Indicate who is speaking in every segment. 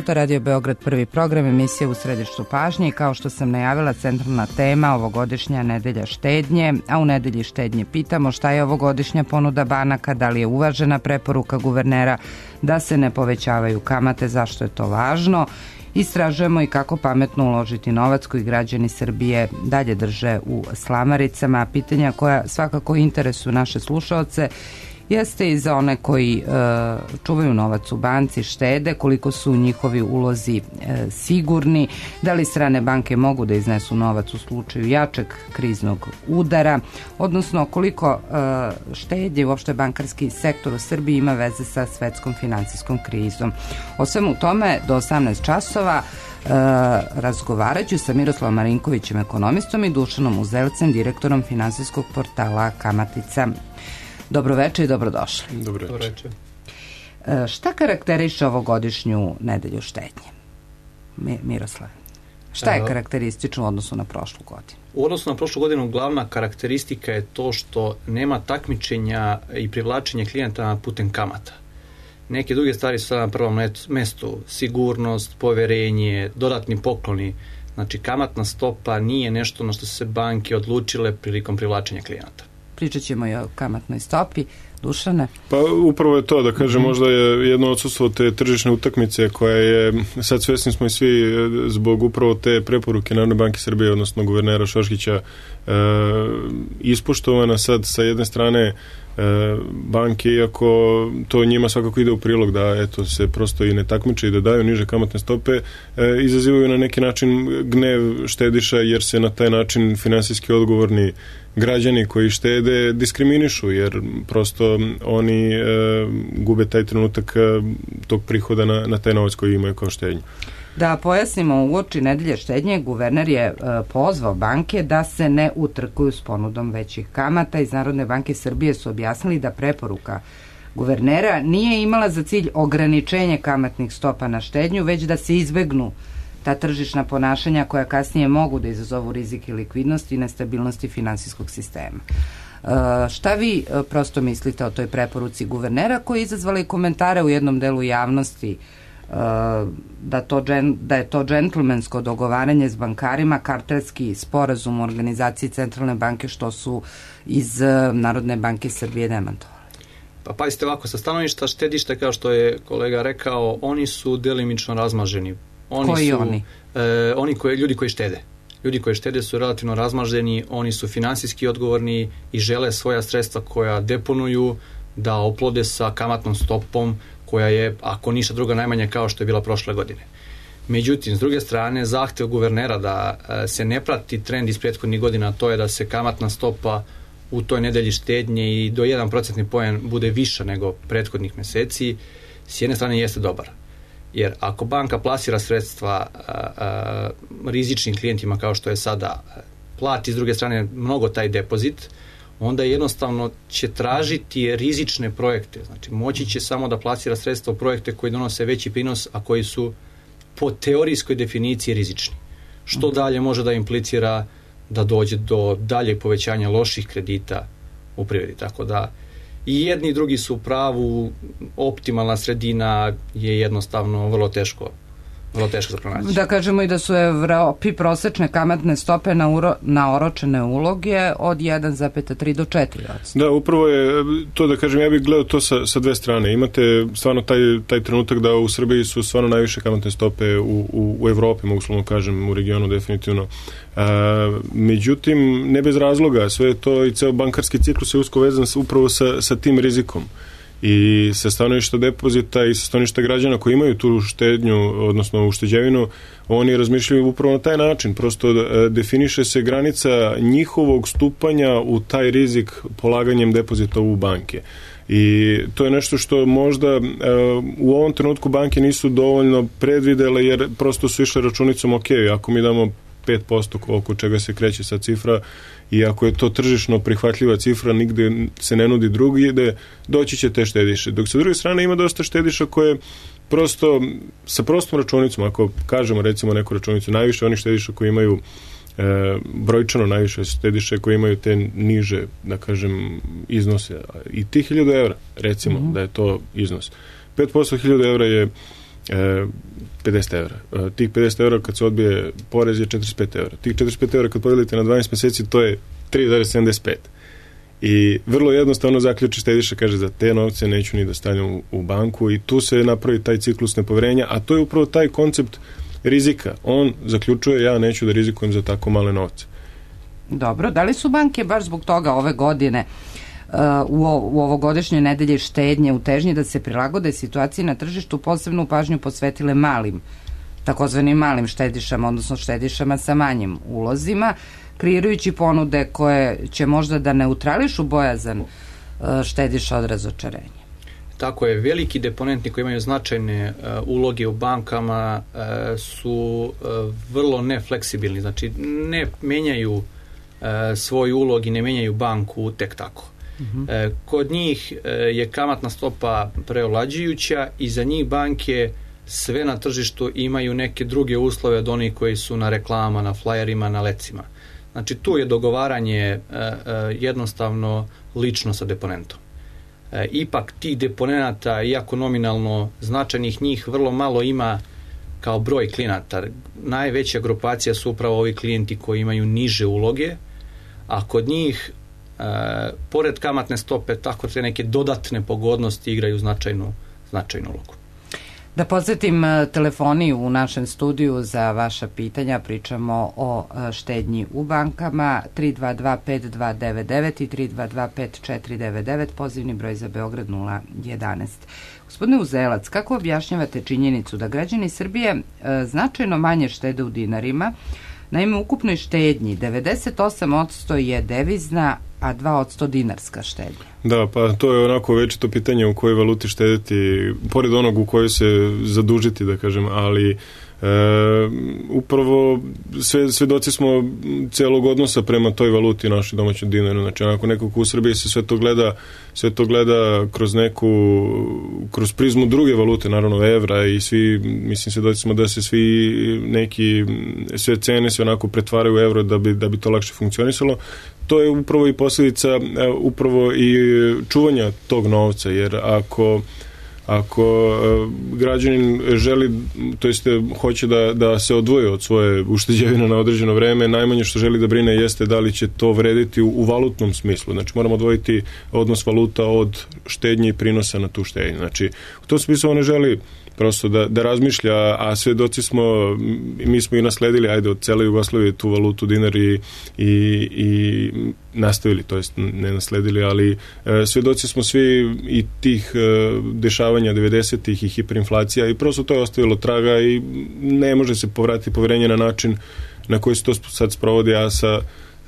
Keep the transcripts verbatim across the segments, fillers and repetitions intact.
Speaker 1: minuta, Radio Beograd, prvi program, emisija U središtu pažnje i kao što sam najavila, centralna tema ovogodišnja nedelja štednje, a u nedelji štednje pitamo šta je ovogodišnja ponuda banaka, da li je uvažena preporuka guvernera da se ne povećavaju kamate, zašto je to važno. Istražujemo i kako pametno uložiti novac koji građani Srbije dalje drže u slamaricama. Pitanja koja svakako interesuju naše slušaoce jeste i za one koji e, čuvaju novac u banci, štede, koliko su njihovi ulozi e, sigurni, da li strane banke mogu da iznesu novac u slučaju jačeg kriznog udara, odnosno koliko e, štednje, uopšte bankarski sektor u Srbiji ima veze sa svetskom finansijskom krizom. O svemu tome do osamnaest časova e, razgovarat ću sa Miroslavom Marinkovićem, ekonomistom, i Dušanom Uzelcem, direktorom finansijskog portala Kamatica. Dobroveče i dobrodošli.
Speaker 2: Dobroveče.
Speaker 1: E, šta karakteriše ovogodišnju nedelju štednje? Mi, Miroslav, šta je karakteristično u odnosu na prošlu godinu?
Speaker 2: U odnosu na prošlu godinu glavna karakteristika je to što nema takmičenja i privlačenja klijenta putem kamata. Neke druge stvari su sada na prvom mestu, sigurnost, poverenje, dodatni pokloni. Znači, kamatna stopa nije nešto na što su se banke odlučile prilikom privlačenja klijenata.
Speaker 1: Pričat ćemo i o kamatnoj stopi. Dušane?
Speaker 3: Pa upravo je to, da kažem, možda je jedno odsustvo te tržišne utakmice koja je, sad svesni smo i svi zbog upravo te preporuke Narodne banke Srbije, odnosno guvernera Šoškića, e, ispoštovana sad sa jedne strane banke, iako to njima svakako ide u prilog da eto se prosto i ne takmiče i da daju niže kamatne stope, e, izazivaju na neki način gnev štediša, jer se na taj način finansijski odgovorni građani koji štede diskriminišu, jer prosto oni e, gube taj trenutak e, tog prihoda na, na taj novac koji imaju kao štednju.
Speaker 1: Da pojasnimo, uoči nedelje štednje guverner je e, pozvao banke da se ne utrkuju s ponudom većih kamata. Iz Narodne banke Srbije su objasnili da preporuka guvernera nije imala za cilj ograničenje kamatnih stopa na štednju, već da se izbegnu ta tržišna ponašanja koja kasnije mogu da izazovu rizik i likvidnost i nestabilnosti finansijskog sistema. E, šta vi e, prosto mislite o toj preporuci guvernera, koji je izazvala i komentare u jednom delu javnosti, Da, to, da je to džentlmensko dogovaranje s bankarima, kartelski sporazum u organizaciji Centralne banke, što su iz Narodne banke Srbije demantovali?
Speaker 2: Pa pazite ovako, sa stanovišta štedišta, kao što je kolega rekao, oni su delimično razmaženi. Oni
Speaker 1: koji
Speaker 2: su,
Speaker 1: oni?
Speaker 2: E, oni koji, ljudi koji štede. Ljudi koji štede su relativno razmaženi, oni su finansijski odgovorni i žele svoja sredstva koja deponuju da oplode sa kamatnom stopom koja je, ako ništa druga, najmanja kao što je bila prošle godine. Međutim, s druge strane, zahtev guvernera da se ne prati trend iz prethodnih godina, to je da se kamatna stopa u toj nedelji štednje i do jedan procentni poen bude viša nego prethodnih meseci, s jedne strane jeste dobar. Jer ako banka plasira sredstva a, a, rizičnim klijentima kao što je sada, plati s druge strane mnogo taj depozit, onda jednostavno će tražiti rizične projekte. Znači, moći će samo da plasira sredstva u projekte koji donose veći prinos, a koji su po teorijskoj definiciji rizični. Što dalje može da implicira da dođe do daljeg povećanja loših kredita u privredi. Tako da i jedni i drugi su u pravu, optimalna sredina je jednostavno vrlo teško vrlo teško za pronaći.
Speaker 1: Da kažemo i da su u Evropi prosečne kamatne stope na, uro, na oročene uloge od jedan zarez tri do četiri posto.
Speaker 3: Da, upravo je to, da kažem, ja bih gledao to sa, sa dve strane. Imate stvarno taj, taj trenutak da u Srbiji su stvarno najviše kamatne stope u, u, u Evropi, mogu slovno kažem, u regionu definitivno. A, međutim, ne bez razloga, sve to i ceo bankarski ciklus je usko vezan upravo sa, sa tim rizikom. I sa stanovišta depozita i sa stanovišta građana koji imaju tu štednju, odnosno ušteđevinu, oni razmišljaju upravo na taj način. Prosto definiše se granica njihovog stupanja u taj rizik polaganjem depozita u banke. I to je nešto što možda u ovom trenutku banke nisu dovoljno predvidele, jer prosto su išle računicom, ok, ako mi damo pet posto oko čega se kreće sa cifra, i ako je to tržišno prihvatljiva cifra, nigde se ne nudi drugi, ide, doći će te štediše. Dok sa druge strane ima dosta štediša koje prosto sa prostom računicom, ako kažemo recimo neku računicu, najviše onih štediša koji imaju e, brojčano najviše štediše koji imaju te niže, da kažem, iznose. I ti hiljadu evra, recimo, mm-hmm. da je to iznos. pet posto hiljada evra je e, pedeset evra. E, tih pedeset evra kad se odbije porez je četrdeset pet evra. Tih četrdeset pet evra kad podelite na dvanaest meseci, to je tri zarez sedamdeset pet. I vrlo jednostavno zaključi štediša, kaže za te novce neću ni da stavljam u, u banku i tu se napravi taj ciklus nepoverenja, a to je upravo taj koncept rizika. On zaključuje ja neću da rizikujem za tako male novce.
Speaker 1: Dobro, da li su banke baš zbog toga ove godine uh, u, u ovogodišnjoj nedelji štednje u težnji da se prilagode situaciji na tržištu posebnu pažnju posvetile malim, takozvanim malim štedišama, odnosno štedišama sa manjim ulozima, kreirajući ponude koje će možda da neutrališu bojazan uh, štediša od razočarenja?
Speaker 2: Tako je, veliki deponenti koji imaju značajne uh, uloge u bankama uh, su uh, vrlo nefleksibilni, znači ne menjaju uh, svoj ulog i ne menjaju banku tek tako. Uh-huh. Uh, kod njih uh, je kamatna stopa preovlađujuća i za njih banke sve na tržištu imaju neke druge uslove od onih koji su na reklamama, na flajerima, na lecima. Znači tu je dogovaranje uh, uh, jednostavno lično sa deponentom. E, ipak tih deponenata, iako nominalno značajnih njih vrlo malo ima kao broj klijenata. Najveća grupacija su upravo ovi klijenti koji imaju niže uloge, a kod njih e, pored kamatne stope tako te neke dodatne pogodnosti igraju značajnu, značajnu ulogu.
Speaker 1: Da podsjetim, telefoni u našem studiju za vaša pitanja, pričamo o štednji u bankama, tri dva dva pet dva devet devet i tri dva dva pet četiri devet devet, pozivni broj za Beograd nula jedanaest. Gospodine Uzelac, kako objašnjavate činjenicu da građani Srbije e, značajno manje štede u dinarima? Naime, u ukupnoj štednji devedeset osam posto je devizna, a dva posto dinarska štednja.
Speaker 3: Da, pa to je onako večito pitanje u kojoj valuti štediti, pored onog u kojoj se zadužiti, da kažem, ali e, upravo sve, svedoci smo celog odnosa prema toj valuti našoj domaćoj dinaru. Znači, onako neko ko u Srbiji se sve to gleda, sve to gleda kroz neku, kroz prizmu druge valute, naravno evra, i svi, mislim, svedoci smo da se svi neki, sve cene se onako pretvaraju u evro da bi, da bi to lakše funkcionisalo. To je upravo i posljedica upravo i čuvanja tog novca, jer ako ako građanin želi, to jest hoće da, da se odvoji od svoje ušteđevine na određeno vreme, najmanje što želi da brine jeste da li će to vrediti u, u valutnom smislu. Znači moramo odvojiti odnos valuta od štednje i prinosa na tu štednju. Znači u tom smislu on ne želi prosto da, da razmišlja, a svedoci smo, mi smo i nasledili, ajde, od cele Jugoslavije tu valutu dinar i, i, i nastavili, to jest ne nasledili, ali e, svedoci smo svi i tih e, dešavanja devedesetih i hiperinflacija i prosto to je ostavilo traga i ne može se povratiti poverenje na način na koji se to sad sprovodi, a sa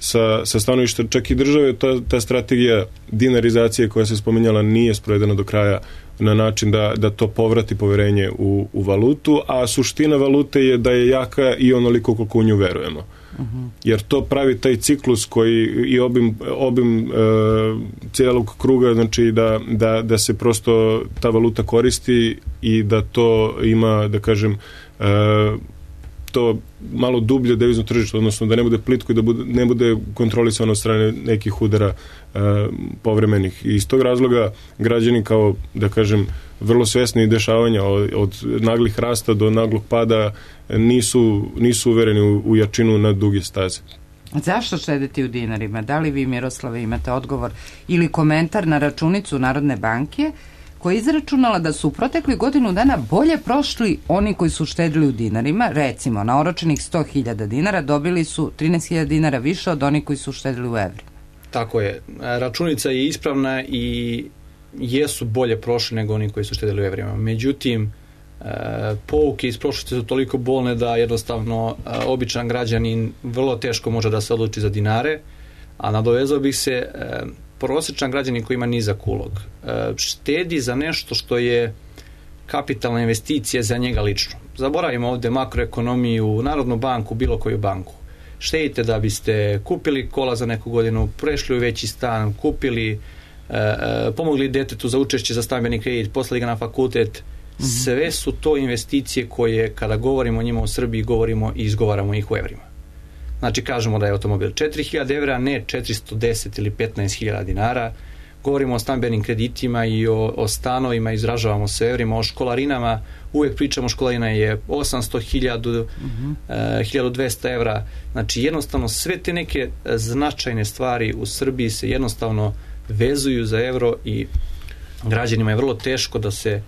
Speaker 3: sa, sa stanovišta čak i države, ta, ta strategija dinarizacije koja se spominjala nije sprovedena do kraja na način da, da to povrati poverenje u, u valutu, a suština valute je da je jaka i onoliko koliko u nju verujemo. Uh-huh. Jer to pravi taj ciklus koji i obim, obim e, cijelog kruga, znači da, da, da se prosto ta valuta koristi i da to ima, da kažem, e, to malo dublje devizno tržište, odnosno da ne bude plitko i da bude, ne bude kontrolisano od strane nekih udara e, povremenih. I iz tog razloga građani kao, da kažem, vrlo svesni dešavanja od, od naglih rasta do naglog pada nisu, nisu uvereni u, u jačinu na duge staze.
Speaker 1: Zašto štediti u dinarima? Da li vi, Miroslave, imate odgovor ili komentar na računicu Narodne banke koja je izračunala da su u protekli godinu dana bolje prošli oni koji su štedili u dinarima? Recimo, na oročenih sto hiljada dinara dobili su trinaest hiljada dinara više od onih koji su štedili u evrima.
Speaker 2: Tako je. Računica je ispravna i jesu bolje prošli nego oni koji su štedili u evrima. Međutim, pouke iz prošlosti su toliko bolne da jednostavno običan građanin vrlo teško može da se odluči za dinare, a nadovezao bih se, prosječan građanin koji ima nizak ulog štedi za nešto što je kapitalna investicija za njega lično. Zaboravimo ovde makroekonomiju, Narodnu banku, bilo koju banku. Štedite da biste kupili kola za neku godinu, prešli u veći stan, kupili, pomogli detetu za učešće za stambeni kredit, poslali ga na fakultet. Sve su to investicije koje, kada govorimo o njima u Srbiji, govorimo i izgovaramo ih u evrima. Znači, kažemo da je automobil četiri hiljade evra, ne četiristo deset ili petnaest hiljada dinara. govorimo o stambenim kreditima i o, o stanovima, izražavamo se evrima, o školarinama, uvek pričamo školarina je osamsto, hiljadu, uh-huh. uh, hiljadu dvesta evra. Znači jednostavno sve te neke značajne stvari u Srbiji se jednostavno vezuju za evro i građanima je vrlo teško da se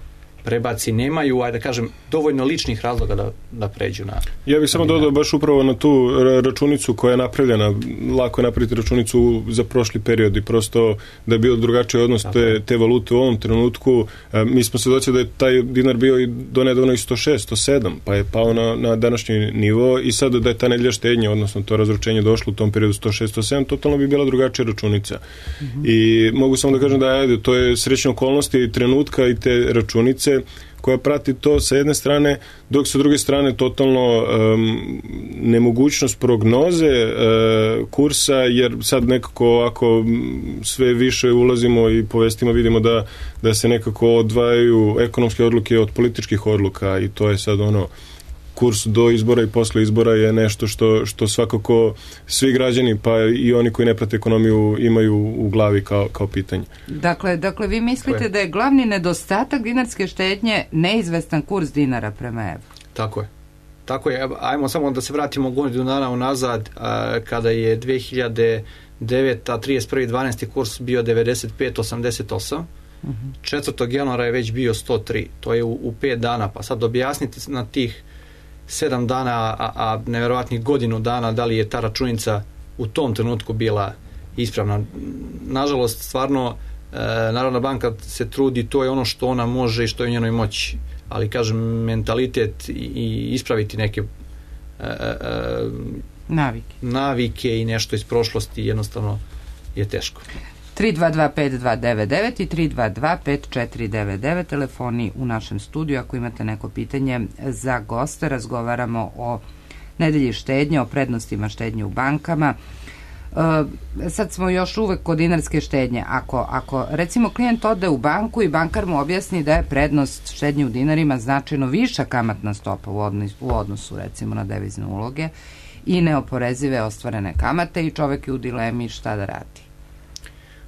Speaker 2: prebaci, nemaju, ajde da kažem, dovoljno ličnih razloga da, da pređu na...
Speaker 3: Ja bih samo dodao baš upravo na tu računicu koja je napravljena, lako je napraviti računicu za prošli period i prosto da je bio drugačiji odnos te, te valute u ovom trenutku. Mi smo svedoci da je taj dinar bio i do nedavno i sto šest, sto sedam, pa je pao na, na današnji nivo i sad da je ta nedelja štednje, odnosno to razručenje došlo u tom periodu sto šest, sto sedam, totalno bi bila drugačija računica. Mm-hmm. I mogu samo da kažem da ajde, to je srećna okolnosti i trenutka i te računice koja prati to sa jedne strane, dok sa druge strane totalno um, nemogućnost prognoze uh, kursa, jer sad nekako ovako sve više ulazimo i po vestima vidimo da, da se nekako odvajaju ekonomske odluke od političkih odluka i to je sad ono kurs do izbora i posle izbora je nešto što, što svakako svi građani pa i oni koji ne prate ekonomiju imaju u glavi kao, kao pitanje.
Speaker 1: Dakle, dakle, vi mislite da je glavni nedostatak dinarske štednje neizvestan kurs dinara prema evru?
Speaker 2: Tako je. Tako je. Ajmo samo da se vratimo godinu dana unazad a, kada je dve hiljade devete. trideset prvi dvanaesti kurs bio devedeset pet osamdeset osam. Uh-huh. četvrtog januara je već bio sto tri. To je u, u pet dana. Pa sad objasnite na tih sedam dana, a, a neverovatnih godinu dana, da li je ta računica u tom trenutku bila ispravna. Nažalost, stvarno, e, Narodna banka se trudi, to je ono što ona može i što je u njenoj moći. Ali, kažem, mentalitet i, i ispraviti neke e, e,
Speaker 1: navike.
Speaker 2: navike i nešto iz prošlosti jednostavno je teško.
Speaker 1: tri dva dva pet dva devet devet i tri dva dva pet četiri devet devet telefoni u našem studiju. Ako imate neko pitanje za goste, razgovaramo o nedelji štednje, o prednostima štednje u bankama. E, sad smo još uvek kod dinarske štednje. Ako, ako recimo klijent ode u banku i bankar mu objasni da je prednost štednje u dinarima značajno viša kamatna stopa u odnosu, u odnosu recimo na devizne uloge i neoporezive ostvarene kamate i čovek je u dilemi šta da radi.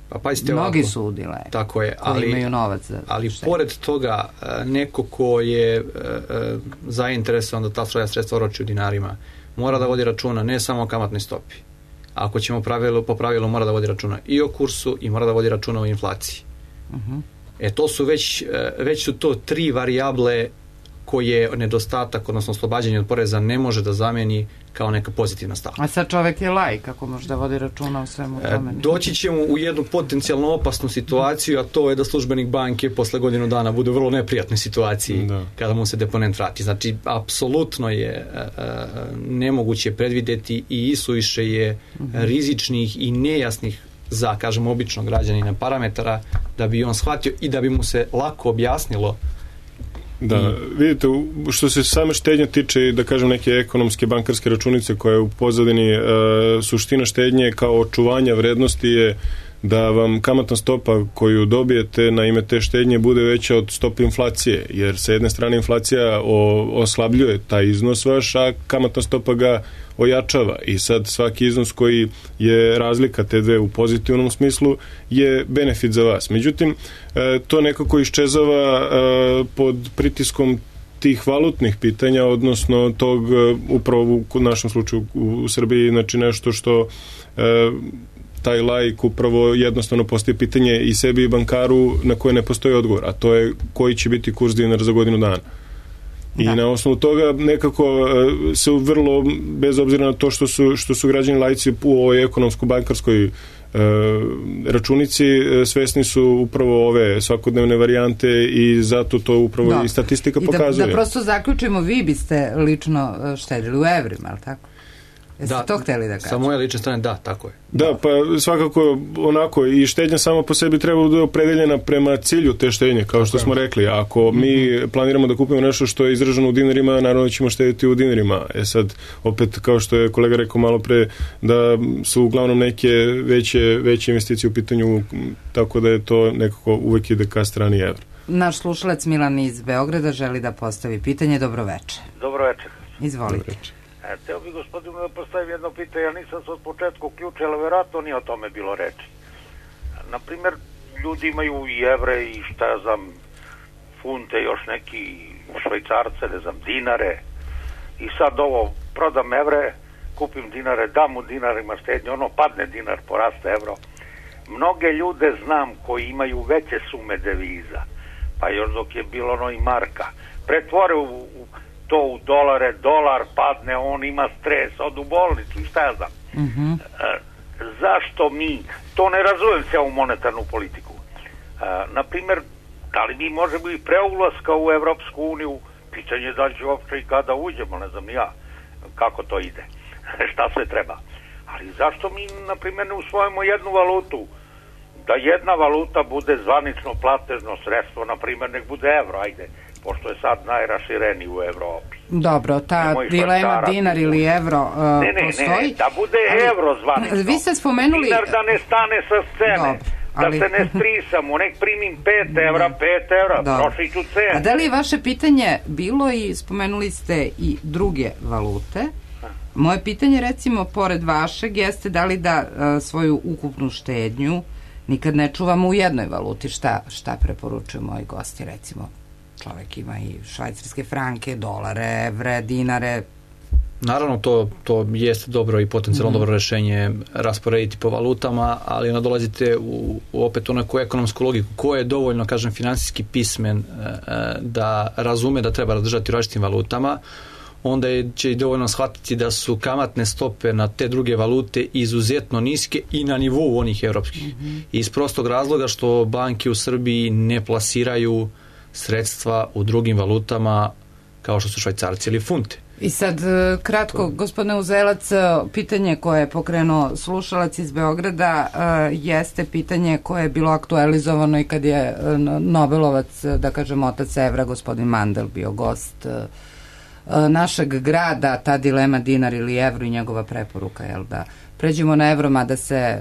Speaker 2: Pa pazite
Speaker 1: mnogi
Speaker 2: ovako,
Speaker 1: su udile,
Speaker 2: tako je, ali,
Speaker 1: imaju novac za
Speaker 2: ali
Speaker 1: štednje.
Speaker 2: Pored toga neko ko je e, e, zainteresovan da ta svoja sredstva oroči u dinarima mora da vodi računa ne samo o kamatnoj stopi. Ako ćemo pravilu, po pravilu mora da vodi računa i o kursu i mora da vodi računa o inflaciji. Uh-huh. E to su već, već su to tri varijable koje nedostatak, odnosno oslobađanje od poreza ne može da zameni kao neka pozitivna stavka.
Speaker 1: A sad čovek je laj, kako može da vodi računa o svemu tome?
Speaker 2: E, doći ćemo u jednu potencijalno opasnu situaciju, a to je da službenik banke posle godinu dana bude u vrlo neprijatnoj situaciji da. Kada mu se deponent vrati. Znači, apsolutno je a, a, nemoguće predvideti i isuviše je uh-huh. rizičnih i nejasnih za, kažemo, običnog građanina parametara da bi on shvatio i da bi mu se lako objasnilo.
Speaker 3: Da, I... vidite, što se same štednje tiče, da kažem, neke ekonomske bankarske računice koje je u pozadini e, suština štednje kao očuvanja vrednosti je da vam kamatna stopa koju dobijete na ime te štednje bude veća od stope inflacije, jer sa jedne strane inflacija o, oslabljuje taj iznos vaš, a kamatna stopa ga ojačava i sad svaki iznos koji je razlika te dve u pozitivnom smislu je benefit za vas. Međutim, to nekako iščezava pod pritiskom tih valutnih pitanja, odnosno tog upravo u našem slučaju u Srbiji, znači nešto što taj laik upravo jednostavno postaje pitanje i sebi i bankaru na koje ne postoji odgovor, a to je koji će biti kurs dinara za godinu dana. I da. Na osnovu toga nekako se vrlo, bez obzira na to što su, što su građani laici u ovoj ekonomsko-bankarskoj e, računici, svesni su upravo ove svakodnevne varijante i zato to upravo da. I statistika I pokazuje.
Speaker 1: Da, da prosto zaključimo, vi biste lično štedili u evrima, ali tako? Jeste
Speaker 2: da,
Speaker 1: to hteli da kažem?
Speaker 2: Sa moje lične strane, da, tako je.
Speaker 3: Da, pa svakako onako i štednja sama po sebi treba da je opredeljena prema cilju te štednje, kao što smo rekli. Ako mi planiramo da kupimo nešto što je izraženo u dinarima, naravno ćemo štediti u dinarima. E sad, opet, kao što je kolega rekao malo pre, da su uglavnom neke veće, veće investicije u pitanju, tako da je to nekako uvek ide ka strani evra.
Speaker 1: Naš slušalac Milan iz Beograda želi da postavi pitanje. Dobroveče.
Speaker 4: Dobroveče.
Speaker 1: Izvolite.
Speaker 4: Dobroveče. E, teo bih gospodinu da postavim jedno pitanje, ja nisam se od početka uključio, ali vjerojatno nije o tome bilo reči. Naprimjer, ljudi imaju i evre i šta ja znam, funte, još neki švajcarce, ne znam, dinare. I sad ovo, prodam evre, kupim dinare, dam u dinarima štednje, ono padne dinar, poraste evro. Mnoge ljude znam koji imaju veće sume deviza, pa još dok je bilo ono i marka, pretvore u, u to u dolare, dolar padne, on ima stres, od u bolnicu i šta ja znam. Mm-hmm. E, zašto mi, to ne razumem se u monetarnu politiku. E, naprimjer, da li mi možemo i pre ulaska u Evropsku uniju, pitanje da li će uopće i kada uđemo, ne znam ja kako to ide, šta sve treba. Ali zašto mi, na primjer, ne usvojimo jednu valutu, da jedna valuta bude zvanično platežno sredstvo, na primjer, nek bude evro, ajde, pošto je sad najrašireniji u Evropi.
Speaker 1: Dobro, ta dilema dinar ili evro uh,
Speaker 4: ne, ne,
Speaker 1: postoji.
Speaker 4: Ne, da bude ali, evro zvanično.
Speaker 1: Vi ste spomenuli...
Speaker 4: Dinar da ne stane sa scene. Dobro. Ali... Da se ne strisamo, nek primim pet evra, pet evra, trošit ću cenu.
Speaker 1: A da li je vaše pitanje bilo i spomenuli ste i druge valute? Moje pitanje, recimo, pored vašeg, jeste da li da a, svoju ukupnu štednju nikad ne čuvamo u jednoj valuti. Šta, šta preporučuju moji gosti, recimo? Čovek ima i švajcarske franke, dolare, evre, dinare.
Speaker 2: Naravno, to, to jeste dobro i potencijalno mm. dobro rešenje rasporediti po valutama, ali onda dolazite u, u opet u neku ekonomsku logiku. Ko je dovoljno, kažem, finansijski pismen e, da razume da treba razdržati različitim valutama, onda je, će i dovoljno shvatiti da su kamatne stope na te druge valute izuzetno niske i na nivou onih evropskih. Mm-hmm. Iz prostog razloga što banke u Srbiji ne plasiraju sredstva u drugim valutama kao što su švajcarci ili funte.
Speaker 1: I sad, kratko, gospodine Uzelac, pitanje koje je pokrenuo slušalac iz Beograda jeste pitanje koje je bilo aktualizovano i kad je Nobelovac, da kažem, otac evra, gospodin Mandel, bio gost našeg grada, ta dilema dinar ili evro i njegova preporuka, jel, da pređemo na evro, mada se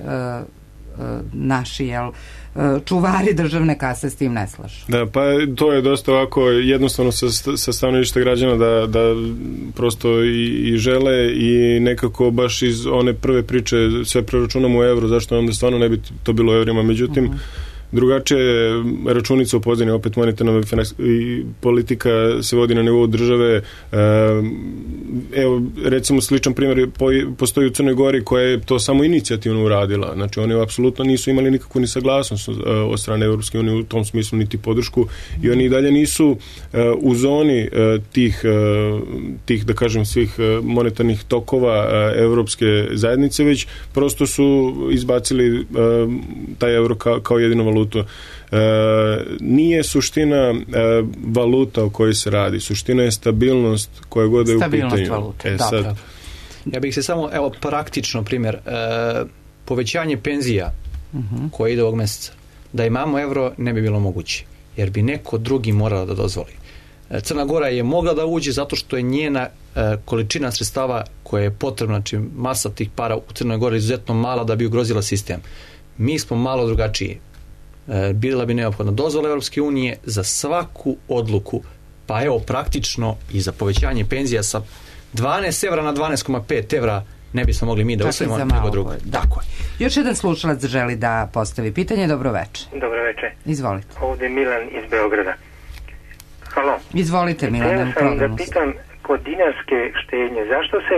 Speaker 1: naši, jel, čuvari državne kase s tim ne slažu.
Speaker 3: Da, pa to je dosta ovako jednostavno sa, sa stanovišta građana da, da prosto i, i žele i nekako baš iz one prve priče sve preračunamo u evro, zašto onda stvarno ne bi to bilo u evrima, međutim uh-huh. drugačije računica u pozadini, opet monetarna i politika se vodi na nivou države. Evo, recimo sličan primjer postoji u Crnoj Gori koja je to samo inicijativno uradila. Znači, oni apsolutno nisu imali nikakvu ni saglasnost od strane Evropske unije u tom smislu, niti podršku i oni i dalje nisu u zoni tih, tih da kažem, svih monetarnih tokova Evropske zajednice, već prosto su izbacili taj evro kao, kao jedinu valutu. E, nije suština e, valuta o kojoj se radi. Suština je stabilnost koja god je u pitanju.
Speaker 1: Stabilnost valute,
Speaker 3: e, sad...
Speaker 2: Ja bih se samo, evo, praktično primjer, e, povećanje penzija uh-huh. koje ide ovog mjeseca. Da imamo evro ne bi bilo moguće, jer bi neko drugi morao da dozvoli. E, Crna Gora je mogla da uđe zato što je njena e, količina sredstava koja je potrebna, znači masa tih para u Crnoj Gori izuzetno mala da bi ugrozila sistem. Mi smo malo drugačiji. E, bila bi neophodna dozvola Evropske unije za svaku odluku, pa evo praktično i za povećanje penzija sa dvanaest evra na dvanaest zarez pet evra ne bismo mogli mi da usvojimo nego drugo. Tako je.
Speaker 1: Još jedan slušalac želi da postavi pitanje. Dobro veče.
Speaker 5: Dobro veče.
Speaker 1: Izvolite.
Speaker 5: Ovdje Milan iz Beograda. Halo.
Speaker 1: Izvolite, Milan.
Speaker 5: Htio sam da pitam kod dinarske štednje, zašto se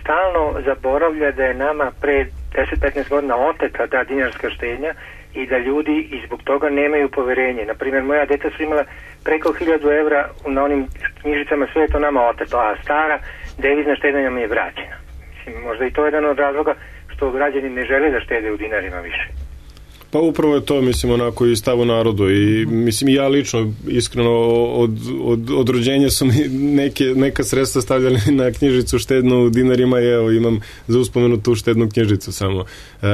Speaker 5: stalno zaboravlja da je nama pre deset do petnaest godina oteta ta dinarska štednja i da ljudi i zbog toga nemaju poverenje. Naprimjer, moja djeca su imala preko hiljadu evra na onim knjižicama, sve je to nama oteto, a stara devizna štednja mi je vraćena. Mislim, možda i to je jedan od razloga što građani ne žele da štede u dinarima više.
Speaker 3: Pa upravo je to, mislim, onako i stav u narodu i mislim ja lično iskreno od, od, od rođenja su mi neke, neka sredstva stavljali na knjižicu štednu u dinarima i evo imam za uspomenu tu štednu knjižicu samo. E,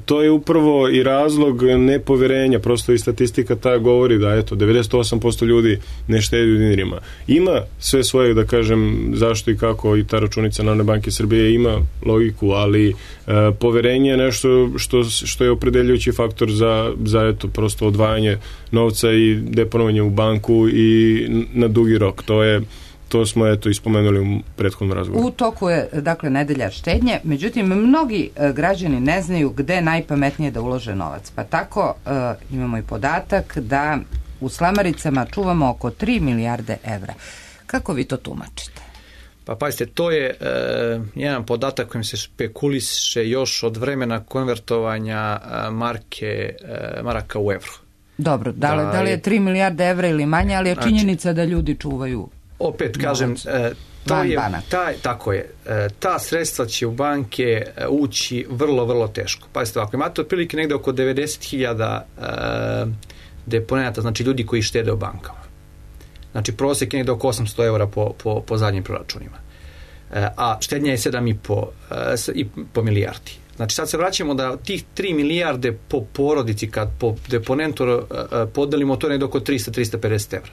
Speaker 3: to je upravo i razlog nepoverenja, prosto i statistika ta govori da eto devedeset osam posto ljudi ne štedi u dinarima. Ima sve svoje, da kažem, zašto i kako i ta računica Narodne banke Srbije ima logiku, ali e, poverenje je nešto što, što je opredeljujući faktor za, za eto, prosto odvajanje novca i deponovanje u banku i na dugi rok. To je to smo eto ispomenuli u prethodnom razgovoru.
Speaker 1: U toku je, dakle, nedelja štednje, međutim, mnogi e, građani ne znaju gde je najpametnije da ulože novac. Pa tako e, imamo i podatak da u slamaricama čuvamo oko tri milijarde evra. Kako vi to tumačite?
Speaker 2: Pa pazite, to je e, jedan podatak kojim se špekuliše još od vremena konvertovanja e, marke, e, maraka u evro.
Speaker 1: Dobro, da li, da, da li je tri milijarde evra ili manje, ali je činjenica znači, da ljudi čuvaju.
Speaker 2: Opet kažem, e, to je, taj, tako je, e, ta sredstva će u banke ući vrlo, vrlo teško. Pazite, ako imate otprilike negde oko devedeset hiljada e, deponenata, znači ljudi koji štede u bankama. Znači prosjek je negde oko osamsto eura po, po, po zadnjim proračunima. E, a štednja je sedam i po milijardi. Znači sad se vraćamo da tih tri milijarde po porodici kad po deponentu e, podelimo, to je negde oko trista do trista pedeset evra.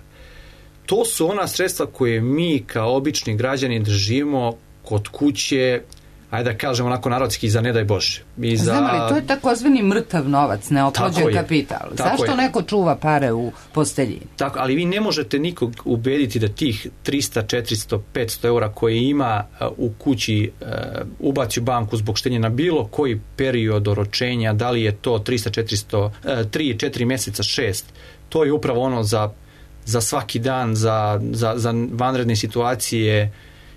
Speaker 2: To su ona sredstva koje mi kao obični građani držimo kod kuće, ajde da kažemo onako narodski, za ne daj Bože. I za...
Speaker 1: Znam, ali to je takozvani mrtav novac, neoplođen kapital. Zašto je. Neko čuva pare u posteljini?
Speaker 2: Tako, ali vi ne možete nikog ubediti da tih trista, četiristo, petsto eura koje ima u kući uh, ubaci u banku zbog štenja na bilo koji period oročenja, da li je to trista, četiristo, uh, tri, četiri meseca, šest, to je upravo ono za, za svaki dan, za, za, za vanredne situacije,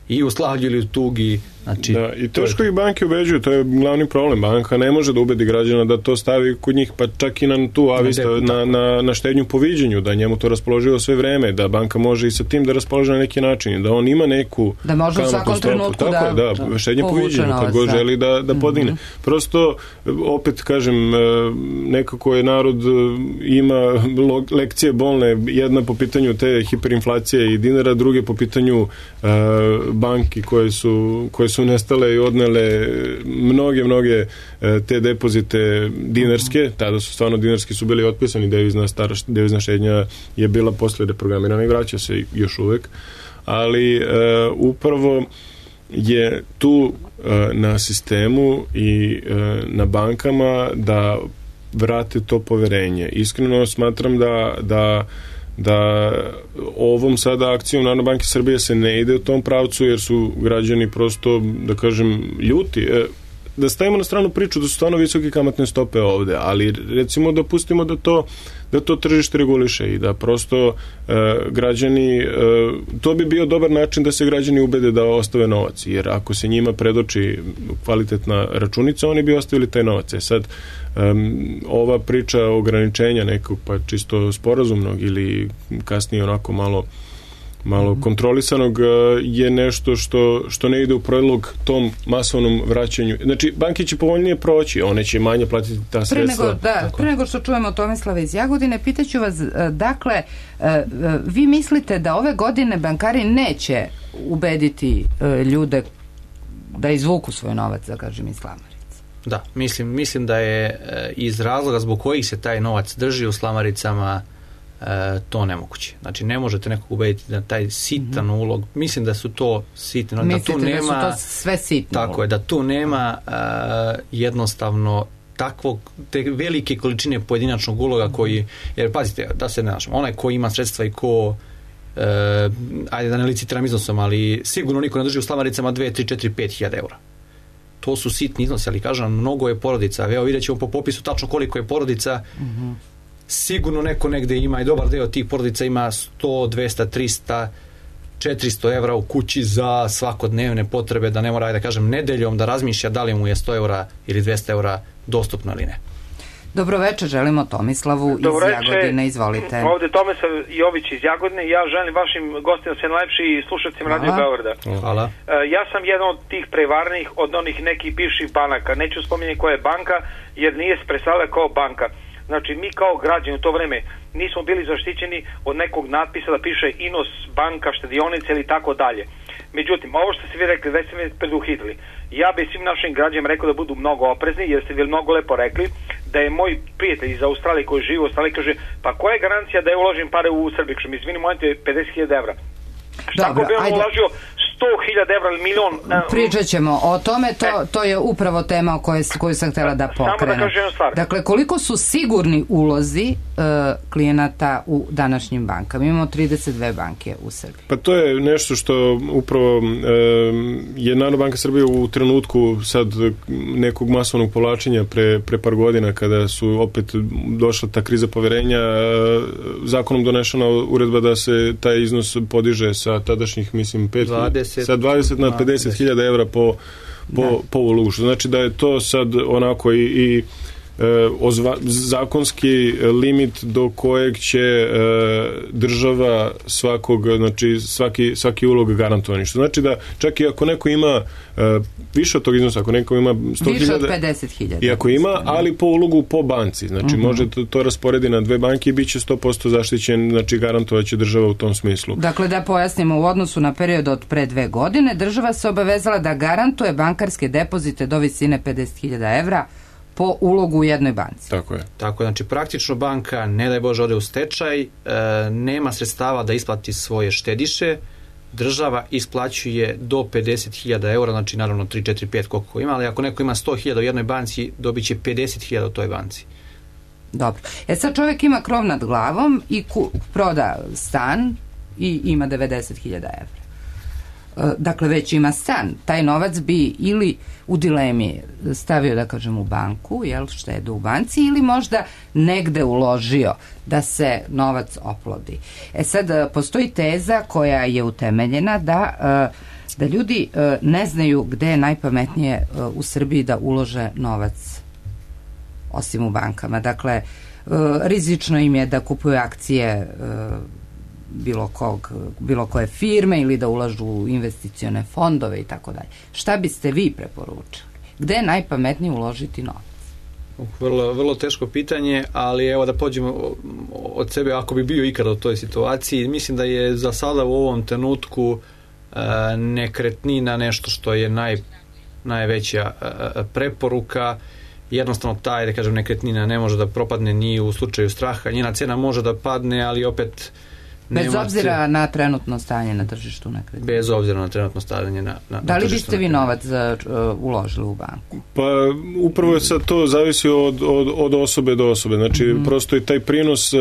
Speaker 2: i u slavlju ili u tugi. Znači,
Speaker 3: da, i teško ih banke ubeđuju, to je glavni problem. Banka ne može da ubedi građana da to stavi kod njih, pa čak i na tu avista, na, na, na štednju po viđenju, da njemu to raspoloživo sve vreme, da banka može i sa tim da raspoloži na neki način, da on ima neku
Speaker 1: da može u svakom trenutku
Speaker 3: tako
Speaker 1: da,
Speaker 3: je, da, da štednje po viđenju, kad god želi da, da podigne. Mm-hmm. Prosto, opet kažem, nekako je narod ima lekcije bolne, jedna po pitanju te hiperinflacije i dinara, druge po pitanju uh, banki koje su, koje su nestale i odnele mnoge, mnoge te depozite dinarske, tada su stvarno dinarski su bili otpisani, devizna, stara, devizna štednja je bila posle reprogramirana i vraća se još uvek, ali uh, upravo je tu uh, na sistemu i uh, na bankama da vrate to poverenje. Iskreno smatram da, da da ovom sada akcijom Narodne banke Srbije se ne ide u tom pravcu, jer su građani prosto, da kažem, ljuti. Da stavimo na stranu priču da su stvarno visoke kamatne stope ovde, ali recimo da pustimo da to, da to tržište reguliše i da prosto e, građani, e, to bi bio dobar način da se građani ubede da ostave novac, jer ako se njima predoči kvalitetna računica, oni bi ostavili taj novac. E sad, Um, ova priča ograničenja nekog pa čisto sporazumnog ili kasnije onako malo malo mm-hmm. kontrolisanog je nešto što, što ne ide u prilog tom masovnom vraćanju. Znači, banke će povoljnije proći, one će manje platiti ta sredstva.
Speaker 1: Pre nego, da, pre nego što čujemo Tomislava iz Jagodine, pitaću vas, dakle, vi mislite da ove godine bankari neće ubediti ljude da izvuku svoj novac, da kažem, iz slamarice?
Speaker 2: Da, mislim, mislim da je e, iz razloga zbog kojih se taj novac drži u slamaricama e, to nemoguće. Znači, ne možete nekog ubediti da taj sitan mm-hmm. ulog, mislim da su to sitni,
Speaker 1: mislite
Speaker 2: da tu nema,
Speaker 1: da su to sve sitni
Speaker 2: tako ulog. Je, da tu nema e, jednostavno takvog, te velike količine pojedinačnog uloga mm-hmm. koji, jer pazite, da se ne našamo, onaj ko ima sredstva i ko e, ajde da ne licitiram iznosom, ali sigurno niko ne drži u slamaricama dve, tri, četiri, pet hiljada eura. To su sitni iznosi, ali kažem, mnogo je porodica. Evo vidjet ćemo po popisu tačno koliko je porodica. Mm-hmm. Sigurno neko negde ima i dobar deo tih porodica ima sto, dvesta, trista, četiristo evra u kući za svakodnevne potrebe, da ne mora, da kažem, nedeljom da razmišlja da li mu je sto evra ili dvesta evra dostupno ili ne.
Speaker 1: Dobro večer, želimo Tomislavu iz
Speaker 6: Dobro
Speaker 1: Jagodine, izvolite.
Speaker 6: Ovde Tomislav Jović iz Jagodine, ja želim vašim gostima sve najlepši i slušacima Radio Beograda.
Speaker 2: Hvala.
Speaker 6: Ja sam jedan od tih prevarnih, od onih nekih bivših banaka, neću spominjati koja je banka, jer nije se predstavila kao banka. Znači, mi kao građani u to vreme nismo bili zaštićeni od nekog natpisa da piše Inos banka, štedionica ili tako dalje. Međutim, ovo što ste vi rekli, već ste me preduhitrili. Ja bi svim našim građanima rekao da budu mnogo oprezni, jer ste vi mnogo lepo rekli da je moj prijatelj iz Australije koji živi u Australiji kaže, pa koja je garancija da je uložim pare u Srbiju? Što mi izvini, mojete pedeset hiljada evra. Šta ako bi on uložio sto hiljada evra ili milion.
Speaker 1: Pričat ćemo o tome, to, to je upravo tema o kojoj, koju sam htjela da pokrenem.
Speaker 6: Samo da kažem jednu stvar.
Speaker 1: Dakle, koliko su sigurni ulozi uh, klijenata u današnjim bankama? Imamo trideset dve banke u Srbiji.
Speaker 3: Pa to je nešto što upravo uh, je Narodna banka Srbije u trenutku sad nekog masovnog povlačenja pre, pre par godina, kada su opet došla ta kriza poverenja, uh, zakonom donešena uredba da se taj iznos podiže sa tadašnjih, mislim, pet,
Speaker 2: dvadeset,
Speaker 3: sa dvadeset na pedeset hiljada evra po, po, po ulogu. Znači da je to sad onako i, i e, ozva, zakonski limit do kojeg će e, država svakog, znači svaki, svaki ulog garantovani. Što znači da čak i ako neko ima e, više od tog iznosa, ako neko ima sto hiljada,
Speaker 1: više od pedeset hiljada.
Speaker 3: I ako ima, ali po ulogu po banci. Znači uh-huh. može to, to rasporedi na dve banke i bit će sto posto zaštićen, znači garantovaće država u tom smislu.
Speaker 1: Dakle, da pojasnimo, u odnosu na period od pre dve godine, država se obavezala da garantuje bankarske depozite do visine pedeset hiljada evra po ulogu u jednoj banci.
Speaker 3: Tako je.
Speaker 2: Tako, znači praktično banka, ne daj Bože, ode u stečaj, e, nema sredstava da isplati svoje štediše, država isplaćuje do pedeset hiljada eura, znači naravno tri, četiri, pet koliko ima, ali ako neko ima sto hiljada u jednoj banci, dobit će pedeset hiljada u toj banci.
Speaker 1: Dobro. E sad čovjek ima krov nad glavom i ku, proda stan i ima devedeset hiljada evra. Dakle, već ima stan. Taj novac bi ili u dilemi stavio, da kažem, u banku, jel, štedu u banci, ili možda negde uložio da se novac oplodi. E sad, postoji teza koja je utemeljena da, da ljudi ne znaju gde je najpametnije u Srbiji da ulože novac osim u bankama. Dakle, rizično im je da kupuju akcije bilo kog, bilo koje firme ili da ulažu u investicione fondove i tako dalje. Šta biste vi preporučili? Gde je najpametnije uložiti novac?
Speaker 2: Vrlo, vrlo teško pitanje, ali evo da pođemo od sebe, ako bi bio ikada u toj situaciji. Mislim da je za sada u ovom trenutku e, nekretnina nešto što je naj, najveća e, preporuka. Jednostavno taj, da kažem, nekretnina ne može da propadne ni u slučaju straha. Njena cena može da padne, ali opet
Speaker 1: bez obzira na trenutno stanje na tržištu nekretnina.
Speaker 2: Bez obzira na trenutno stanje na, na,
Speaker 1: da li
Speaker 2: na
Speaker 1: biste vi novac uh, uložili u banku?
Speaker 3: Pa upravo je sad to zavisi od, od, od osobe do osobe. Znači mm-hmm. prosto i taj prinos, uh,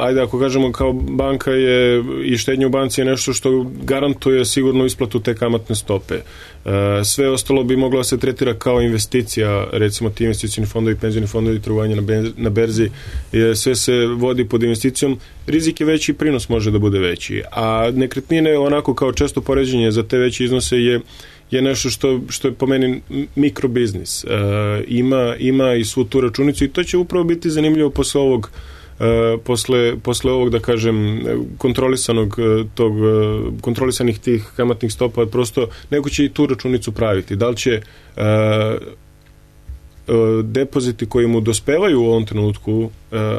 Speaker 3: ajde ako kažemo kao banka je i štednja u banci je nešto što garantuje sigurno isplatu te kamatne stope. Uh, sve ostalo bi moglo se tretira kao investicija, recimo ti investicioni fondovi, penzioni fondovi, trgovanje na, benz, na berzi, je, sve se vodi pod investicijom, rizik je veći, prinos može da bude veći, a nekretnine onako kao često poređenje za te veće iznose je, je nešto što, što je po meni mikrobiznis. Uh, ima, ima i svu tu računicu i to će upravo biti zanimljivo posle ovog Uh, posle, posle ovog, da kažem, kontrolisanog tog, kontrolisanih tih kamatnih stopa, prosto neko će i tu računicu praviti. Da li će uh, uh, depoziti koji mu dospevaju u ovom trenutku, uh,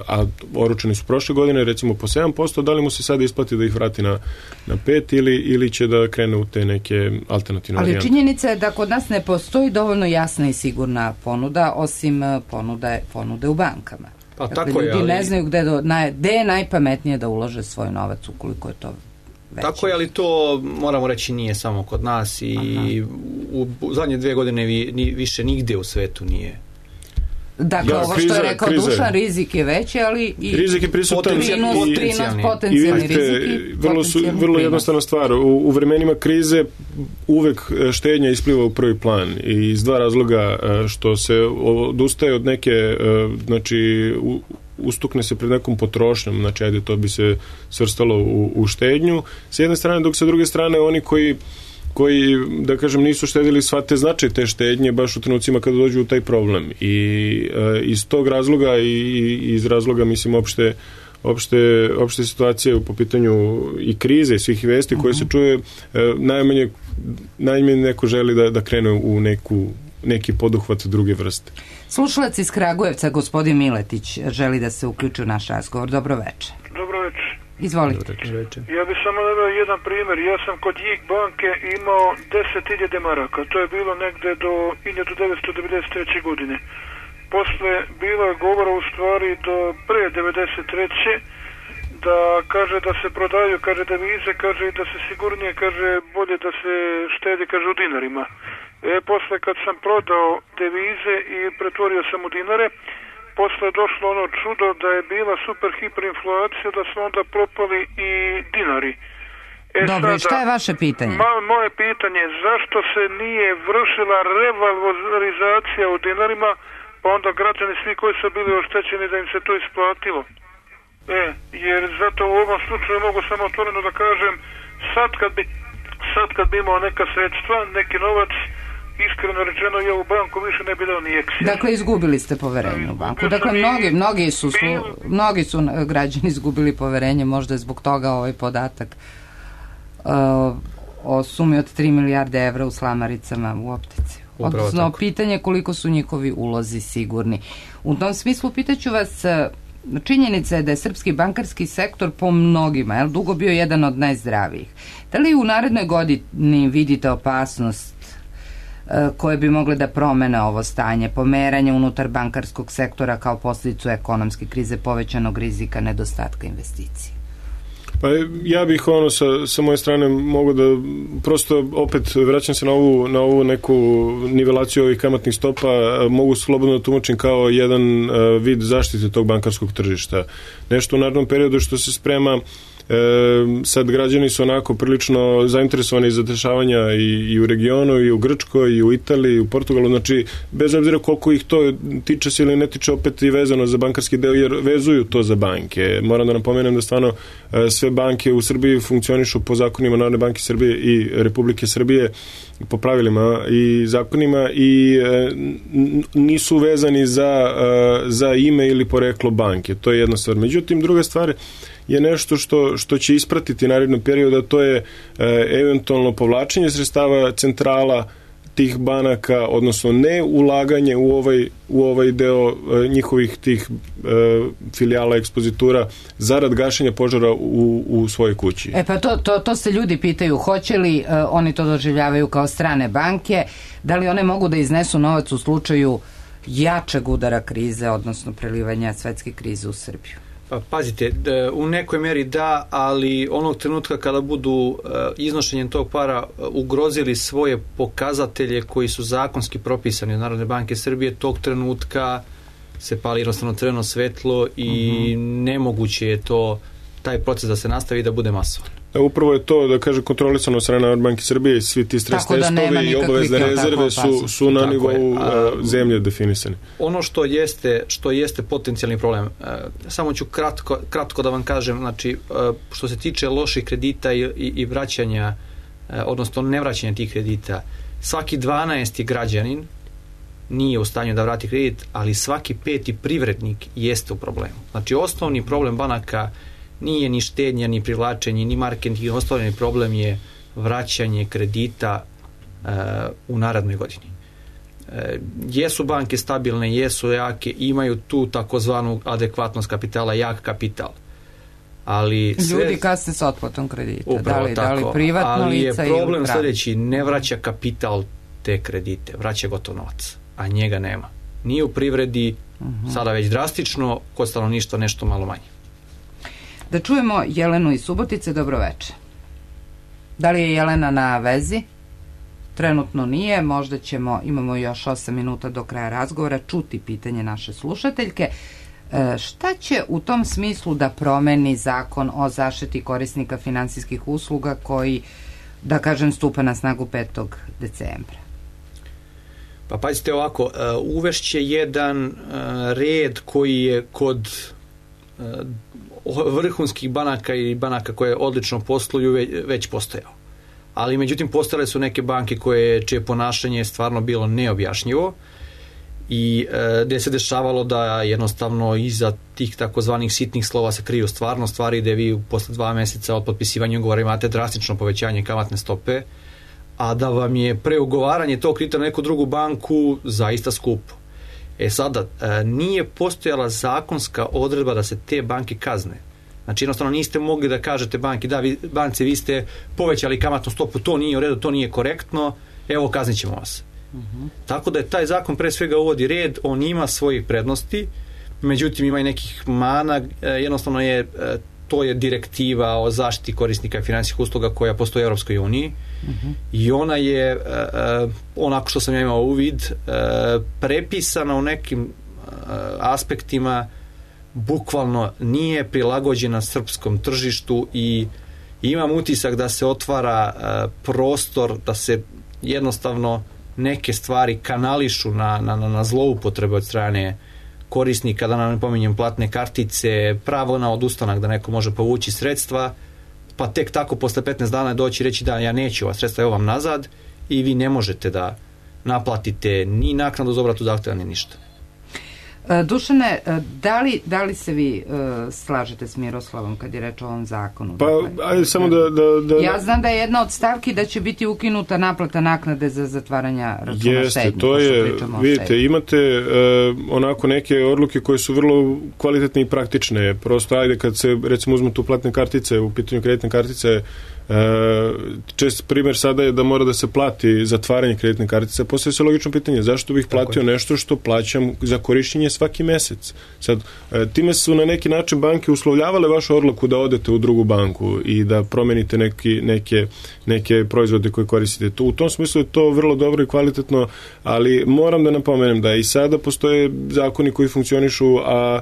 Speaker 3: a oročeni su prošle godine, recimo po sedam posto, da li mu se sad isplati da ih vrati na, na pet ili, ili će da krene u te neke alternativne
Speaker 1: ali
Speaker 3: varijante.
Speaker 1: Ali činjenica je da kod nas ne postoji dovoljno jasna i sigurna ponuda, osim ponude, ponude u bankama.
Speaker 2: Pa,
Speaker 1: dakle,
Speaker 2: tako
Speaker 1: ljudi
Speaker 2: je, ali... ne
Speaker 1: znaju gde, do, na, gde je najpametnije da ulože svoj novac ukoliko je to veće.
Speaker 2: Tako je, ali to moramo reći nije samo kod nas i u, u zadnje dve godine vi, ni, više nigde u svetu nije.
Speaker 1: Dakle, ja, ovo kriza, što je rekao kriza. Dušan, rizik je veći, ali i
Speaker 3: rizik je prisutan
Speaker 1: prinos,
Speaker 3: i,
Speaker 1: prinos, potencijalni rizik i
Speaker 3: vrlo, su, vrlo jednostavna stvar. U, u vremenima krize uvek štednja ispliva u prvi plan i iz dva razloga, što se odustaje od neke, znači u, ustukne se pred nekom potrošnjom, znači ajde to bi se svrstalo u, u štednju s jedne strane, dok sa druge strane oni koji koji, da kažem, nisu štedili shvate značaj te štednje baš u trenucima kada dođu u taj problem i e, iz tog razloga i, i iz razloga, mislim, opšte opšte, opšte situacije po pitanju i krize i svih vesti koje se čuje, e, najmanje, najmanje neko želi da, da krene u neku, neki poduhvat druge vrste.
Speaker 1: Slušalac iz Kragujevca, gospodin Miletić, želi da se uključi u naš razgovor. Dobro večer.
Speaker 7: Dobro večer.
Speaker 1: Izvolite.
Speaker 7: Ja bih samo naveo jedan primjer. Ja sam kod Jig banke imao deset hiljada maraka. To je bilo negde do hiljadu devetsto devedeset treće. godine. Posle bilo je govora u stvari do pre devedeset treće da kaže da se prodaju, kaže devize, kaže da se sigurnije, kaže bolje da se štedi, kaže u dinarima. E, posle kad sam prodao devize i pretvorio sam u dinare, posle je došlo ono čudo da je bila super hiperinflacija, da su onda propali i dinari. E,
Speaker 1: Dobro,
Speaker 7: sada,
Speaker 1: šta je vaše pitanje?
Speaker 7: Ma, moje pitanje je zašto se nije vršila revalorizacija u dinarima, pa onda građani svi koji su bili oštećeni da im se to isplatilo. E, jer zato u ovom slučaju mogu samo otvoreno da kažem, sad kad bi, sad kad bi imao neka sredstva, neki novac, iskreno rečeno ja u banku više ne bi dao ni eksija.
Speaker 1: Dakle, izgubili ste poverenje u banku. Dakle, mnogi, mnogi, su, mnogi su građani izgubili poverenje, možda je zbog toga ovaj podatak uh, o sumi od tri milijarde evra u slamaricama u optici. Odnosno, pitanje koliko su njihovi ulozi sigurni. U tom smislu pitaću vas, činjenica je da je srpski bankarski sektor po mnogima, je dugo bio jedan od najzdravijih. Da li u narednoj godini vidite opasnost koje bi mogle da promene ovo stanje, pomeranje unutar bankarskog sektora kao posljedicu ekonomske krize, povećanog rizika, nedostatka investicije?
Speaker 3: Pa ja bih ono sa, sa moje strane mogu da prosto opet vraćam se na ovu, na ovu neku nivelaciju ovih kamatnih stopa, mogu slobodno da tumačim kao jedan uh, vid zaštite tog bankarskog tržišta. Nešto u narednom periodu što se sprema, E, sad građani su onako prilično zainteresovani za dešavanja i, i u regionu, i u Grčkoj, i u Italiji, i u Portugalu, znači bez obzira koliko ih to tiče se ili ne tiče, opet i vezano za bankarski deo, jer vezuju to za banke. Moram da napomenem da stvarno e, sve banke u Srbiji funkcionišu po zakonima Narodne banke Srbije i Republike Srbije, po pravilima i zakonima i e, nisu vezani za, e, za ime ili poreklo banke. To je jedna stvar. Međutim, druga stvar je nešto što, što će ispratiti narednog perioda, to je e, eventualno povlačenje sredstava centrala tih banaka, odnosno ne ulaganje u ovaj, u ovaj deo e, njihovih tih e, filijala, ekspozitura zarad gašenja požara u, u svojoj kući.
Speaker 1: E pa to, to, to se ljudi pitaju, hoće li e, oni to doživljavaju kao strane banke, da li one mogu da iznesu novac u slučaju jačeg udara krize, odnosno prelivanja svetske krize u Srbiju?
Speaker 2: Pa pazite, u nekoj meri da, ali onog trenutka kada budu iznošenjem tog para ugrozili svoje pokazatelje koji su zakonski propisani od Narodne banke Srbije, tog trenutka se pali jednostavno crveno svetlo i mm-hmm. nemoguće je to, taj proces da se nastavi i da bude masovan.
Speaker 3: Da, upravo je to, da kaže, kontrolisano od strane Narodne banke Srbije i svi ti stres testovi i obavezne rezerve su, su na nivou a, zemlje definisane.
Speaker 2: Ono što jeste, što jeste potencijalni problem, samo ću kratko, kratko da vam kažem, znači, što se tiče loših kredita i, i, i vraćanja, odnosno nevraćanja tih kredita, svaki dvanaesti građanin nije u stanju da vrati kredit, ali svaki peti privrednik jeste u problemu. Znači, osnovni problem banaka nije ni štednja, ni privlačenje, ni marketing, osnovni problem je vraćanje kredita e, u narednoj godini. E, jesu banke stabilne, jesu jake, imaju tu takozvanu adekvatnost kapitala, jak kapital. Ali sve,
Speaker 1: ljudi kasne s otplatom kredita,
Speaker 2: upravo
Speaker 1: da li,
Speaker 2: tako,
Speaker 1: da li privatno
Speaker 2: ali
Speaker 1: lica
Speaker 2: je problem
Speaker 1: ili
Speaker 2: sljedeći, ne vraća kapital te kredite, vraća gotov novac, a njega nema. Nije u privredi, uh-huh. sada već drastično, kod stanovništva nešto malo manje.
Speaker 1: Da čujemo Jelenu iz Subotice, dobroveče. Da li je Jelena na vezi? Trenutno nije, možda ćemo, imamo još osam minuta do kraja razgovora, čuti pitanje naše slušateljke. E, šta će u tom smislu da promeni zakon o zaštiti korisnika finansijskih usluga koji, da kažem, stupa na snagu petog decembra?
Speaker 2: Pa pazite ovako, uvešće jedan red koji je kod vrhunskih banaka i banaka koje odlično posluju već postojao. Ali međutim postojale su neke banke koje, čije ponašanje je stvarno bilo neobjašnjivo i e, gde se dešavalo da jednostavno iza tih takozvanih sitnih slova se kriju stvarno stvari, gde vi posle dva meseca od potpisivanja ugovora imate drastično povećanje kamatne stope, a da vam je preugovaranje tog kredita na neku drugu banku zaista skupo. E sada, e, nije postojala zakonska odredba da se te banke kazne. Znači, jednostavno niste mogli da kažete banki, da, vi, banci, vi ste povećali kamatnu stopu, to nije u redu, to nije korektno, evo, kaznit ćemo vas. Uh-huh. Tako da je taj zakon pre svega uvodi red, on ima svojih prednosti, međutim ima i nekih mana, e, jednostavno je e, to je direktiva o zaštiti korisnika finansijskih usluga koja postoji u Europskoj uniji. Uh-huh. I ona je, uh, onako što sam ja imao uvid, uh, prepisana u nekim uh, aspektima, bukvalno nije prilagođena srpskom tržištu i imam utisak da se otvara uh, prostor da se jednostavno neke stvari kanališu na, na, na zloupotrebe od strane korisnika, da nam ne pominjem platne kartice, pravo na odustanak da neko može povući sredstva, pa tek tako posle petnaest dana doći i reći da ja neću ova sredstva, evo vam nazad, i vi ne možete da naplatite ni naknadu za obratu zahteva ni ništa.
Speaker 1: Dušane, da li, da li se vi uh, slažete s Miroslavom kad je reč o ovom zakonu?
Speaker 3: Pa,
Speaker 1: dakle,
Speaker 3: ajde samo da, da, da...
Speaker 1: Ja znam da je jedna od stavki da će biti ukinuta naplata naknade za zatvaranja računa
Speaker 3: Jeste,
Speaker 1: štednje.
Speaker 3: to je, vidite, imate uh, onako neke odluke koje su vrlo kvalitetne i praktične. Prosto, ajde, kad se, recimo, uzmu tu platne kartice, u pitanju kreditne kartice, Uh, čest primjer sada je da mora da se plati zatvaranje kreditne kartice. Postoje se logično pitanje, zašto bih platio nešto što plaćam za korišćenje svaki mesec? Sad, uh, time su na neki način banke uslovljavale vašu odluku da odete u drugu banku i da promenite neki, neke, neke proizvode koje koristite. Tu, u tom smislu je to vrlo dobro i kvalitetno, ali moram da napomenem da i sada postoje zakoni koji funkcionišu, a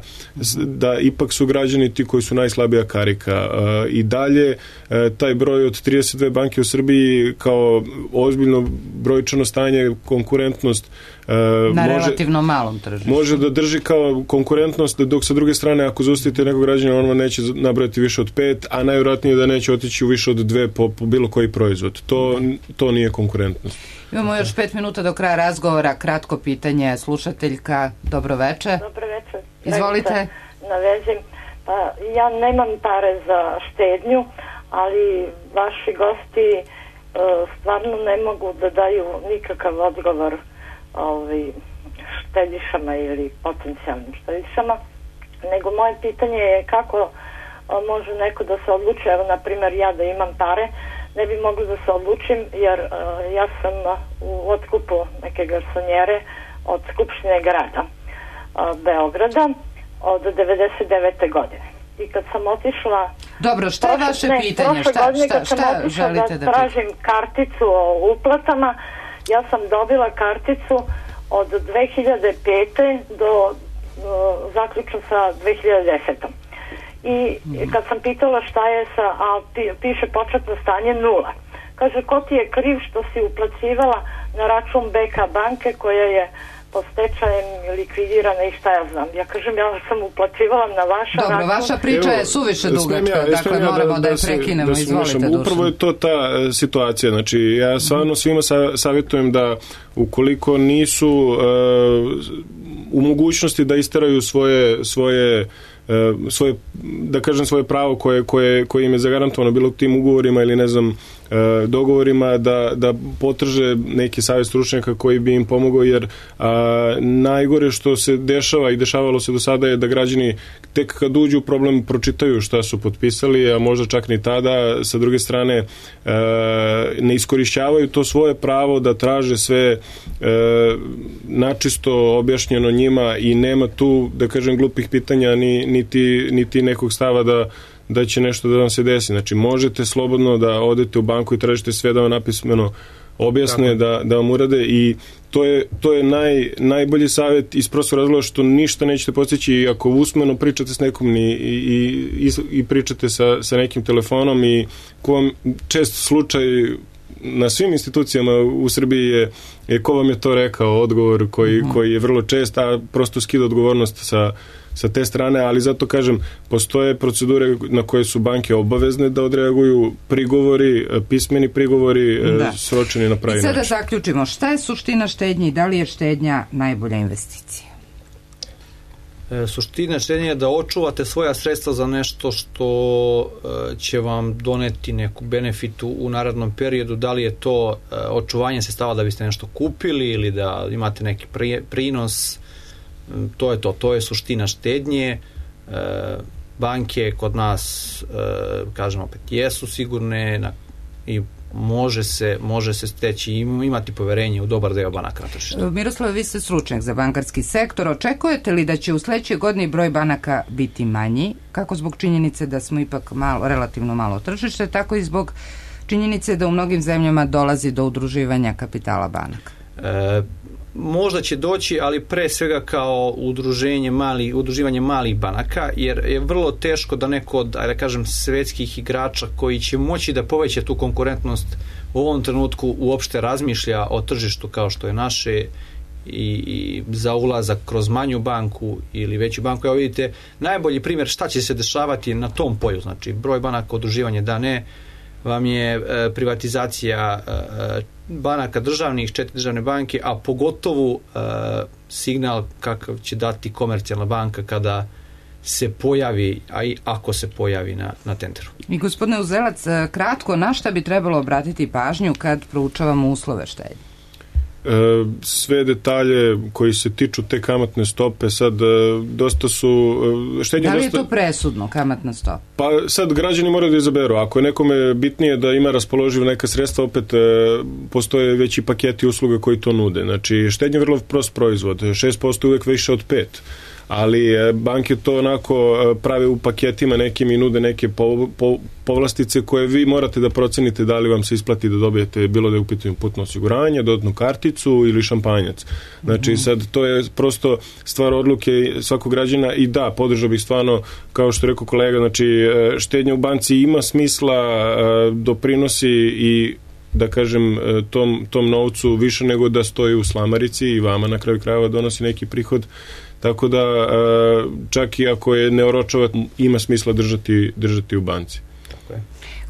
Speaker 3: da ipak su građani ti koji su najslabija karika. Uh, I dalje uh, taj broj od trideset dve banke u Srbiji kao ozbiljno brojčano stanje, konkurentnost uh,
Speaker 1: na
Speaker 3: može,
Speaker 1: relativno malom tržištu.
Speaker 3: Može da drži kao konkurentnost, dok sa druge strane ako zaustavite nekog građana, on vam neće nabrojati više od pet, a najvjerojatnije da neće otići u više od dve po, po bilo koji proizvod. To, to nije konkurentnost.
Speaker 1: Imamo još pet minuta do kraja razgovora. Kratko pitanje, slušateljka. Dobro večer.
Speaker 8: Dobro večer.
Speaker 1: Izvolite.
Speaker 8: Na vezi. Pa, ja nemam pare za štednju, ali vaši gosti uh, stvarno ne mogu da daju nikakav odgovor ovaj, štedišama ili potencijalnim štedišama, nego moje pitanje je kako uh, može neko da se odluči, evo na primjer ja da imam pare, ne bi mogla da se odlučim jer uh, ja sam u otkupu neke garsonjere od Skupštine grada uh, Beograda od devedeset devete godine. I kad sam otišla...
Speaker 1: Dobro, šta je vaše
Speaker 8: ne,
Speaker 1: pitanje? Šta,
Speaker 8: godine,
Speaker 1: šta, šta želite da,
Speaker 8: da tražim karticu o uplatama, ja sam dobila karticu od dve hiljade pete do uh, zaključno sa dve hiljade desete. I mm. kad sam pitala šta je sa, a piše početno stanje nula. Kaže, ko ti je kriv što si uplacivala na račun B K banke koja je po stečajem likvidirana i šta ja znam. Ja kažem, ja sam uplacivala na vaša
Speaker 1: Dobro,
Speaker 8: račun.
Speaker 1: vaša priča je suviše dugačka, ja, dakle ja moramo da, da je prekinemo. Da Izvolite, Dušan.
Speaker 3: Upravo je to ta uh, situacija. Znači, ja stvarno svima sa, savjetujem da ukoliko nisu uh, u mogućnosti da isteraju svoje, svoje svoje, da kažem, svoje pravo koje, koje, koje im je zagarantovano bilo tim ugovorima ili ne znam dogovorima, da, da potraže neki savjet stručnjaka koji bi im pomogao, jer a, najgore što se dešava i dešavalo se do sada je da građani tek kad uđu u problem pročitaju šta su potpisali, a možda čak ni tada, sa druge strane a, ne iskorišćavaju to svoje pravo da traže sve a, načisto objašnjeno njima i nema tu, da kažem, glupih pitanja ni, niti, niti nekog stava da da će nešto da vam se desi. Znači, možete slobodno da odete u banku i tražite sve da vam napismeno objasne, da, da vam urade i to je, to je naj, najbolji savjet iz prostog razloga što ništa nećete postići i ako usmeno pričate s nekom i, i, i, i pričate sa, sa nekim telefonom i ko vam čest slučaj na svim institucijama u Srbiji je, je ko vam je to rekao, odgovor koji, uh-huh. koji je vrlo čest, a prosto skida odgovornost sa sa te strane, ali zato kažem, postoje procedure na koje su banke obavezne da odreaguju, prigovori, pismeni prigovori, da. Sročeni na pravi način.
Speaker 1: I sada zaključimo, šta je suština štednje i da li je štednja najbolja investicija?
Speaker 2: E, suština štednje je da očuvate svoja sredstva za nešto što e, će vam doneti neku benefitu u narednom periodu, da li je to e, očuvanje sredstava da biste nešto kupili ili da imate neki pri, prinos. To je to, to je suština štednje. E, banke kod nas, e, kažem opet, jesu sigurne na, i može se, može se steći i imati poverenje u dobar deo banaka na tržištu.
Speaker 1: Miroslav, vi ste stručnjak za bankarski sektor. Očekujete li da će u sledećoj godini broj banaka biti manji, kako zbog činjenice da smo ipak malo, relativno malo tržište, tako i zbog činjenice da u mnogim zemljama dolazi do udruživanja kapitala banaka?
Speaker 2: E, možda će doći, ali pre svega kao udruženje mali, udruživanje malih banaka, jer je vrlo teško da neko od, ajde da kažem, svetskih igrača koji će moći da poveća tu konkurentnost u ovom trenutku uopšte razmišlja o tržištu kao što je naše i, i za ulazak kroz manju banku ili veću banku. Evo vidite, najbolji primjer šta će se dešavati na tom polju, znači broj banaka, udruživanje da ne, vam je e, privatizacija e, banaka državnih, četiri državne banke, a pogotovo e, signal kakav će dati komercijalna banka kada se pojavi, a i ako se pojavi na, na tenderu.
Speaker 1: I gospodine Uzelac, kratko, na šta bi trebalo obratiti pažnju kad proučavamo uslove štednje?
Speaker 3: Sve detalje koji se tiču te kamatne stope sad dosta su štednje. Da li je
Speaker 1: dosta... to presudno, kamatna stopa?
Speaker 3: Pa sad građani moraju da izaberu. Ako je nekome bitnije da ima raspoloživ neka sredstva, opet postoje veći paketi usluga koji to nude. Znači štednje je vrlo prost proizvod, šest posto je uvek više od pet, ali banke to onako prave u paketima nekim i nude neke po, po, povlastice koje vi morate da procenite da li vam se isplati da dobijete bilo da je u pitanju putno osiguranje, dodatnu karticu ili šampanjac. Znači sad to je prosto stvar odluke svakog građana i da, podržao bih stvarno, kao što je rekao kolega, znači štednja u banci ima smisla, doprinosi i da kažem tom, tom novcu više nego da stoji u slamarici i vama na kraju krajeva donosi neki prihod. Tako da čak i ako je ne oročava, ima smisla držati, držati u banci.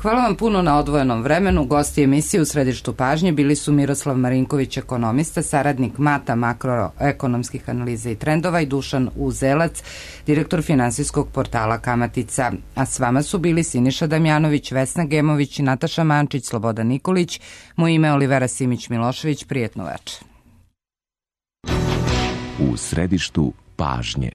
Speaker 1: Hvala vam puno na odvojenom vremenu. Gosti emisije u središtu pažnje bili su Miroslav Marinković, ekonomista, saradnik Mata makroekonomskih analiza i trendova, i Dušan Uzelac, direktor finansijskog portala Kamatica. A s vama su bili Siniša Damjanović, Vesna Gemović, Nataša Mančić, Slobodan Nikolić. Moje ime je Olivera Simić-Milošević. Prijetno večer.
Speaker 9: U središtu pažnje.